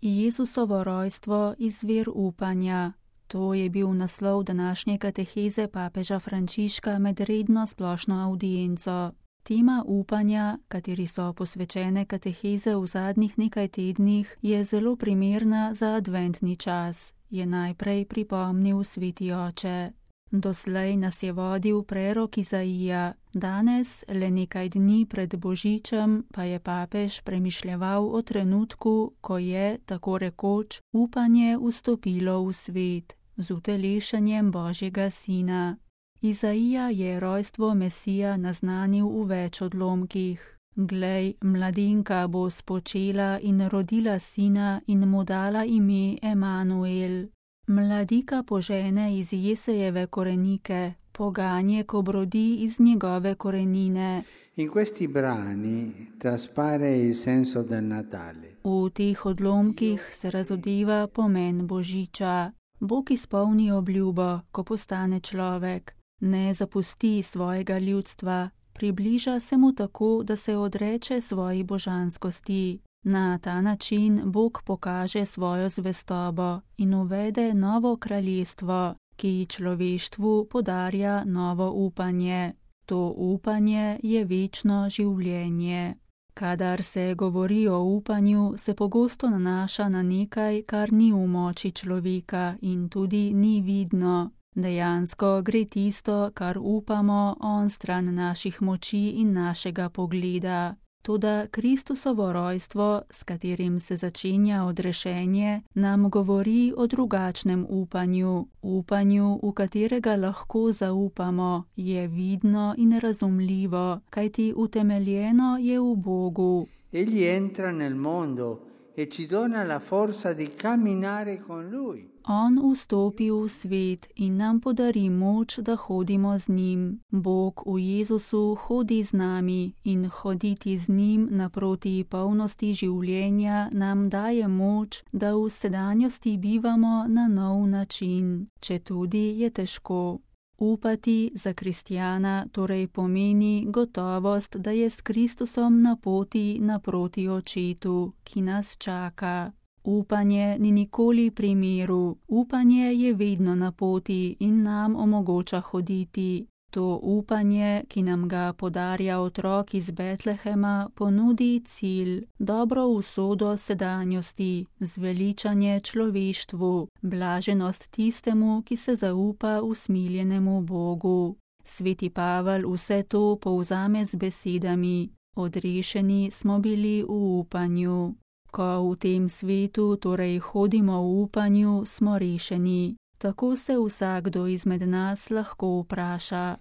Jezusovo rojstvo izvir upanja. To je bil naslov današnje kateheze papeža Frančiška med redno splošno avdienco. Tema upanja, kateri so posvečene kateheze v zadnjih nekaj tednih, je zelo primerna za adventni čas, je najprej pripomnil sveti oče. Doslej nas je vodil prerok Izaija, danes, le nekaj dni pred Božičem, pa je papež premišljeval o trenutku, ko je, tako rekoč, upanje vstopilo v svet, z utelešenjem Božjega sina. Izaija je rojstvo Mesija naznanil v več odlomkih. Glej, mladenka bo spočela in rodila sina in mu dala ime Emanuel. Mladika požene iz Jesejeve korenike, poganjek obrodi iz njegove korenine. In questi brani traspare il senso del Natale. V teh odlomkih se razodeva pomen Božiča. Bog izpolni obljubo, ko postane človek. Ne zapusti svojega ljudstva, približa se mu tako, da se odreče svoji božanskosti. Na ta način Bog pokaže svojo zvestobo in uvede novo kraljestvo, ki človeštvu podarja novo upanje. To upanje je večno življenje. Kadar se govori o upanju, se pogosto nanaša na nekaj, kar ni v moči človeka in tudi ni vidno. Dejansko gre tisto, kar upamo, onstran naših moči in našega pogleda. Toda Kristusovo rojstvo, s katerim se začenja odrešenje, nam govori o drugačnem upanju. Upanju, v katerega lahko zaupamo, je vidno in razumljivo, kajti utemeljeno je v Bogu. Egli entra nel mondo e ci dona la forza di camminare con lui. On vstopi v svet in nam podari moč, da hodimo z njim. Bog v Jezusu hodi z nami in hoditi z njim naproti polnosti življenja nam daje moč, da v sedanjosti bivamo na nov način, četudi je težko. Upati za kristjana torej pomeni gotovost, da je s Kristusom na poti naproti Očetu, ki nas čaka. Upanje ni nikoli pri miru, upanje je vedno na poti in nam omogoča hoditi. To upanje, ki nam ga podarja otrok iz Betlehema, ponudi cilj, dobro usodo sedanjosti, zveličanje človeštvu, blaženost tistemu, ki se zaupa usmiljenemu Bogu. Sveti Pavel vse to povzame z besedami: odrešeni smo bili v upanju. Ko v tem svetu torej hodimo v upanju, smo rešeni. Tako se vsakdo izmed nas lahko vpraša.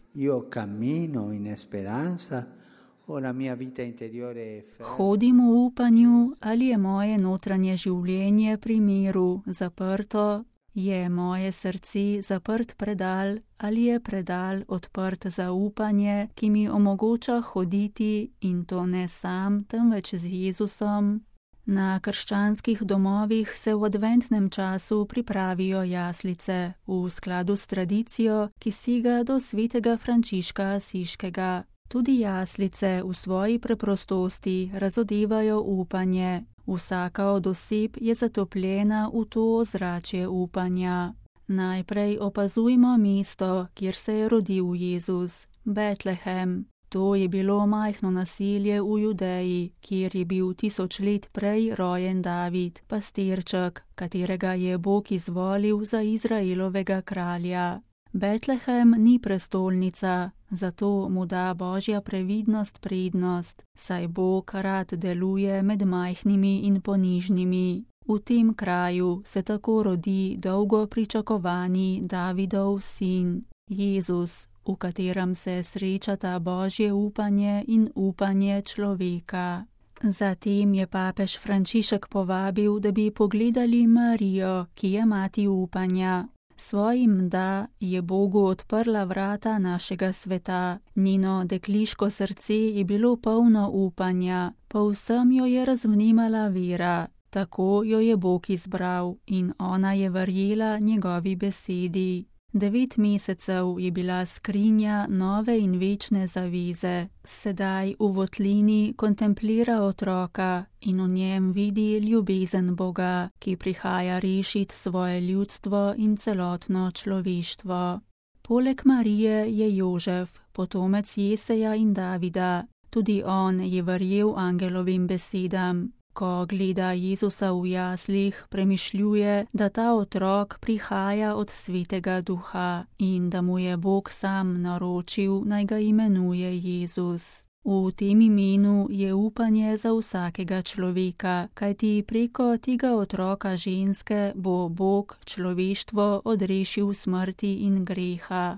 Hodim v upanju, ali je moje notranje življenje pri miru zaprto? Je moje srce zaprt predal, ali je predal odprt za upanje, ki mi omogoča hoditi, in to ne sam, temveč z Jezusom? Na krščanskih domovih se v adventnem času pripravijo jaslice, v skladu s tradicijo, ki sega do svetega Frančiška Asiškega. Tudi jaslice v svoji preprostosti razodevajo upanje. Vsaka od oseb je zatopljena v to ozračje upanja. Najprej opazujmo mesto, kjer se je rodil Jezus, Betlehem. To je bilo majhno naselje v Judeji, kjer je bil 1000 let prej rojen David, pastirček, katerega je Bog izvolil za Izraelovega kralja. Betlehem ni prestolnica, zato mu da Božja previdnost prednost, saj Bog rad deluje med majhnimi in ponižnimi. V tem kraju se tako rodi dolgo pričakovani Davidov sin, Jezus, v katerem se srečata Božje upanje in upanje človeka. Zatem je papež Frančišek povabil, da bi pogledali Marijo, ki je mati upanja. Svojim da je Bogu odprla vrata našega sveta. Njeno dekliško srce je bilo polno upanja, povsem jo je razvnemala vera. Tako jo je Bog izbral in ona je verjela njegovi besedi. 9 mesecev je bila skrinja nove in večne zaveze. Sedaj v votlini kontemplira otroka in v njem vidi ljubezen Boga, ki prihaja rešiti svoje ljudstvo in celotno človeštvo. Poleg Marije je Jožef, potomec Jeseja in Davida. Tudi on je verjel angelovim besedam. Ko gleda Jezusa v jaslih, premišljuje, da ta otrok prihaja od Svetega Duha in da mu je Bog sam naročil, naj ga imenuje Jezus. V tem imenu je upanje za vsakega človeka, kajti preko tega otroka ženske bo Bog človeštvo odrešil smrti in greha.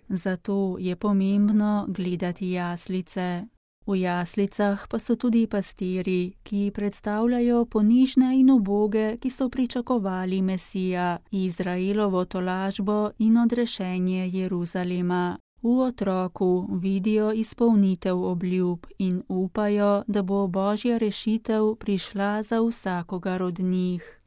Zato je pomembno gledati jaslice. V jaslicah pa so tudi pastirji, ki predstavljajo ponižne in uboge, ki so pričakovali Mesija, Izraelovo tolažbo in odrešenje Jeruzalema. V otroku vidijo izpolnitev obljub in upajo, da bo Božja rešitev prišla za vsakogar od njih.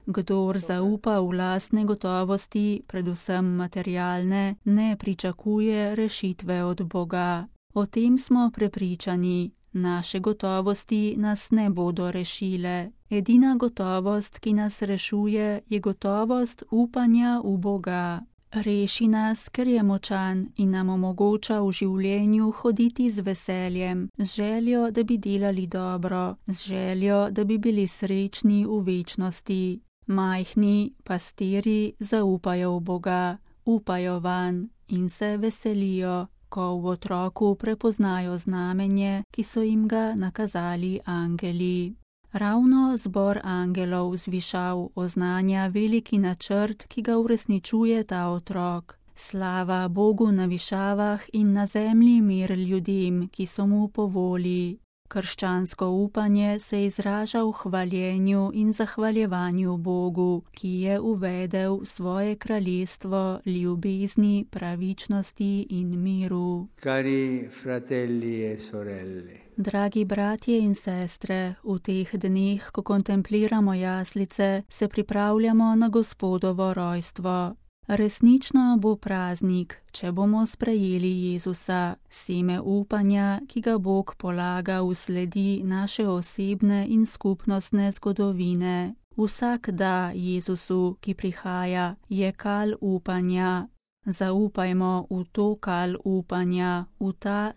Kdor zaupa v lastne gotovosti, predvsem materialne, ne pričakuje rešitve od Boga. O tem smo prepričani. Naše gotovosti nas ne bodo rešile. Edina gotovost, ki nas rešuje, je gotovost upanja v Boga. Reši nas, ker je močan in nam omogoča v življenju hoditi z veseljem, z željo, da bi delali dobro, z željo, da bi bili srečni v večnosti. Majhni pastirji zaupajo v Boga, upajo vanj in se veselijo, ko v otroku prepoznajo znamenje, ki so jim ga nakazali angeli. Ravno zbor angelov zvišav oznanja veliki načrt, ki ga uresničuje ta otrok. Slava Bogu na višavah in na zemlji mir ljudem, ki so mu po volji. Krščansko upanje se izraža v hvaljenju in zahvaljevanju Bogu, ki je uvedel svoje kraljestvo ljubezni, pravičnosti in miru. Cari fratelli e sorelle. Dragi bratje in sestre, v teh dneh, ko kontempliramo jaslice, se pripravljamo na Gospodovo rojstvo. Resnično bo praznik, če bomo sprejeli Jezusa, seme upanja, ki ga Bog polaga v sledi naše osebne in skupnostne zgodovine. Vsak da Jezusu, ki prihaja, je kal upanja. Zaupajmo v to kal upanja, v ta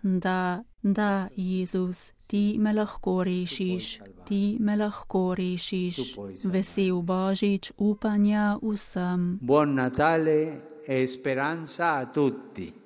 da, Jezus, ti me lahko rešiš, ti me lahko rešiš. Vesel Božič upanja vsem. Buon Natale e speranza a tutti.